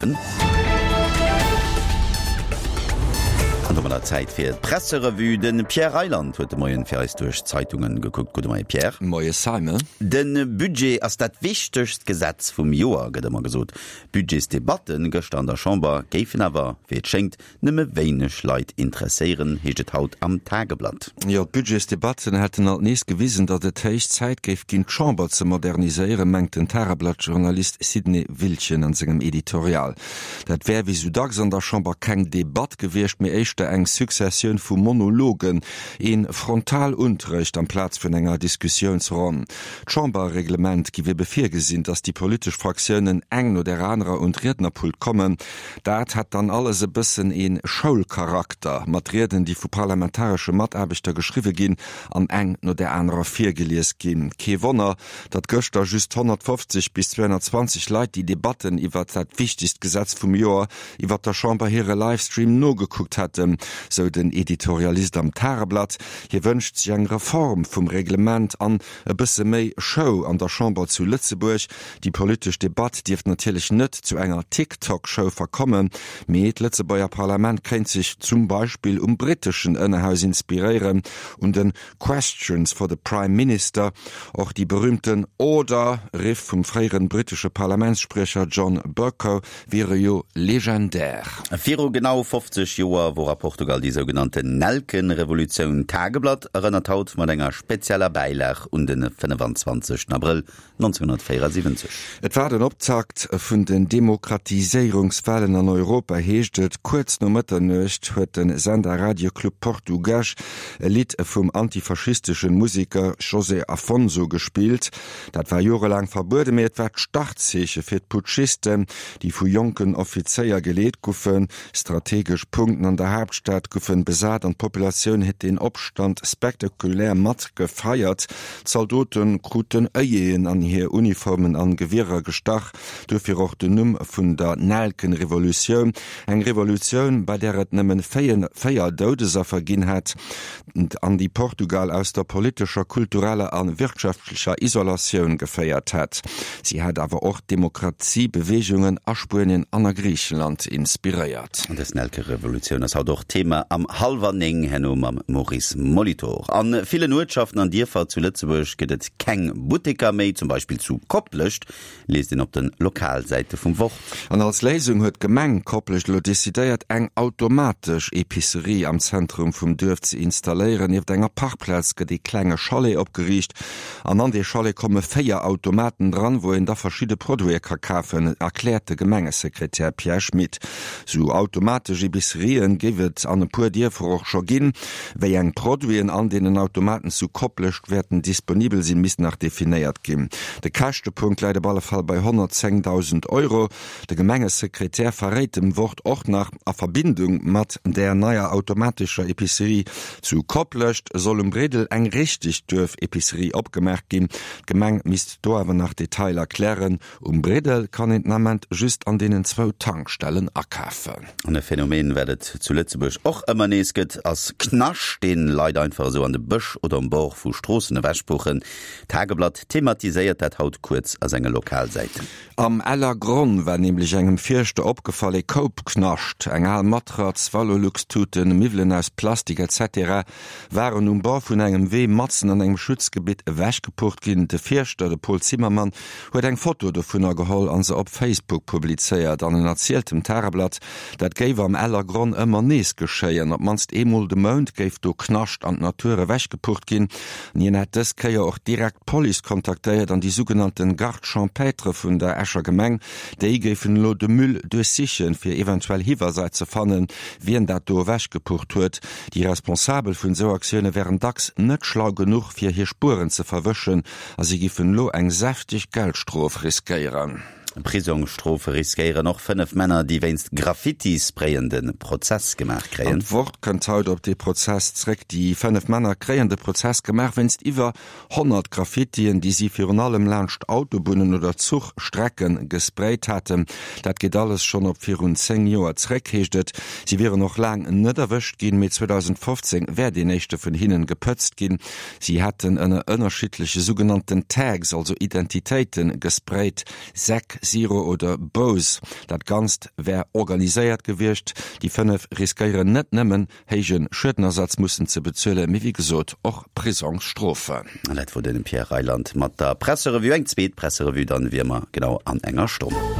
An domadder Zäit fir d'Presserevue. De Pierre Reyland huet de Moien fir eis duerch d'Zeitungen gekuckt. Gudde Moie Pierre. Moie Simon. De Budget ass dat wichtegst Gesetz vum Joer, gëtt ëmmer gesot. D'Budgetsdebatten gëschter an der Chamber géifen awer, wéi et schéngt, nëmme wéineg Leit interesséieren, heescht et haut am Tageblatt. Jo, d'Budgetsdebatten hätten alt nees gewisen, datt et héich Zäit géif ginn, d'Chamber ze moderniséieren, mengt den Tageblatt-Journalist Sidney Wiltgen an sengem Editorial. Dat wär wéi sou dacks an der Chamber keng Debatt gewiescht, mee éischter eng Successioun vu Monologen, ee Frontalunterrecht amplaz vun enger Diskussiounsronn. D'Chamberreglement giff ebe virgesinn, datt déi politesch Fraktiounen eng no där anerer un d'Riednerpult kommen. Dat hätt dann alles e bëssen ee Schoulcharakter, mat Rieden, déi vu parlamentaresche Mataarbechter geschriwwe ginn an eng no där anerer virgelies ginn. Kee Wonner, datt gëschter just 150 bis 220 Leit déi Debatten iwwert dat wichtegst Gesetz vum Joer iwwert der Chamber hire Livestream nogekuckt hätten, sou den Editorialist am Tageblatt. Hie wënscht sech eng Reform vum Reglement an e bësse méi Show an der Chamber zu Lëtzebuerg. Déi politesch Debatt dierft natierlech net zu enger TikTok-Show verkommen, mee d'Lëtzebuerger Parlament kéint sech zum Beispill um britteschen Ënnerhaus inspiréieren, un de Questions for the Prime Minister. Och déi berüümten Order! Riff vum fréieren brittesche Parlamentsspriecher John Bercow wiere jo legendär. Viru genau 50 Joer wor a Portugal déi sougenannten Nelkenrevolutioun. D'Tageblatt erënnert haut mat enger spezieller Bäilag un de 25 Abrëll 1974. Et war den Optakt vun den Demokratiséierungswahlen an Europa, heescht et. Kuerz no Mëtternuecht huet de Sender Radio Club Portugues e Lidd vum antifaschisteschen Museker José Afonso gespillt. Dat war jorelaang verbueden, mee et war d'Startzeeche fir d'Putschisten, déi vu jonken Offizéier geleet guffen. Strategesch Punkten an der Haaptstad guffen besat an d'Populatioun huet deen Opstand spektakulär mat gefeiert. D'Zaldote kruten Œilleten an hir Uniformen an Gewierer gestach, duerfir och den Numm vun der Nelkenrevolutioun, eng Revolutioun, bei där et nëmmen 4 Doudesaffer ginn hätt an déi Portugal aus der politescher, kultureller a wirtschaftlecher Isolatioun geféiert hätt. Si hat awer och d'Demokratiebeweegungen a Spuenien an a Griichenland inspiréiert. Dës Nelkerevolutioun ass haut och Thema am Hallwer 9, herno mam Maurice Molitor. A villen Uertschaften an Dierfer zu Lëtzebuerg gëtt et keng Butteker méi, zum Beispill zu Koplescht, liest een op de Lokalsäite vum Wort. An als Léisung huet d'Gemeng Koplescht elo decidéiert, eng automatesch Epicerie am Zentrum vum Duerf ze installéieren. Nieft enger Parkplaz gëtt ee klenge Chalet opgeriicht an an dee Chalet komme 4 Automaten dran, wou een da verschidde Produite ka kafen, erkläert de Gemengesekretär Pierre Schmit. Sou automatesch Epicerien géif et an e puer Dierfer och scho ginn. Wéi eng Produiten an deenen Automaten zu Koplescht wäerten disponibel sinn, misst nach definéiert ginn. De Käschtepunkt läit op alle Fall bei 110.000 Euro. De Gemengesekretär verréit dem Wort och nach, a Verbindung mat där neier automatescher Epicerie zu Koplescht soll um Bridel eng richteg Duerf-Epicerie opgemaach ginn. D'Gemeng misst do awer nach Detailer klären. Um Bridel kann een den Ament just an deenen zwou Tankstellen akafen. An e Phänomen, wat et zu Lëtzebuerg och ëmmer nees gëtt, ass Knascht, deen Leit einfach esou an de Bësch oder um Bord vu Stroossen ewechpuchen. D'Tageblatt thematiséiert dat haut kuerz a senge Lokalsäiten. Am Ellergronn war nämlech engem Fierschter opgefall, e Koup Knascht, eng al Matratz, Valorlux-Tuten, Miwwelen aus Plastik etc. Waren um Bord vun engem Wee matzen an engem Schutzgebitt ewechgepucht ginn. De Fierschter, de Paul Zimmermann, huet eng Foto dovunner geholl an se op Facebook publizéiert. An en erzielt dem Tageblatt, dat géif am Ellergronn ëmmer nees geschéien. Op d'mannst eemol de Mount géif do Knascht an d'Natur ewechgepucht ginn. An hien hätt dës Kéier och direkt d'Police kontaktéiert an déi sougenannten Garde champêtre vun der Escher Gemeng. Déi géifen elo de Müll duerchsichen, fir eventuell Hiweiser ze fannen, wien dat do ewechgepucht huet. Déi Responsabel vun esou Aktioune wären dacks net schlau genuch, fir hir Spueren ze verwëschen a si giffen elo eng säfteg Geldstrof riskéieren. Prisongsstrofe riskéieren och 5 Männer, déi wéinst Graffiti-Sprayen de Prozess gemaach An kréien. d'Wort kënnt haut op dee Prozess zréck. Déi 5 Männer kréien de Prozess gemaach wéinst iwwer 100 Graffitien, déi si virun allem laanscht Autobunnen oder Zuchstrecke gesprayt haten. Dat geet alles schonn op virun 10 Joer zréck, heescht et. Si wieren och laang net erwëscht ginn, mee 2015 wär deen éischte vun hinnen gepëtzt ginn. Si hätten ënner ënnerschiddleche sougenannten Tags, also Identitéiten, gesprayt, Säck. Zero oder Bose. Dat Ganzt wär organiséiert gewiescht. Déi 5 riskéieren net nëmmen héije Schuedenersatz mussen ze bezuelen, mee wéi gesot och Prisongsstrofen. An dat wor den Pierre Reyland mat der Presserevue. Eng zweet Presserevue dann wéi ëmmer genau an enger Stonn.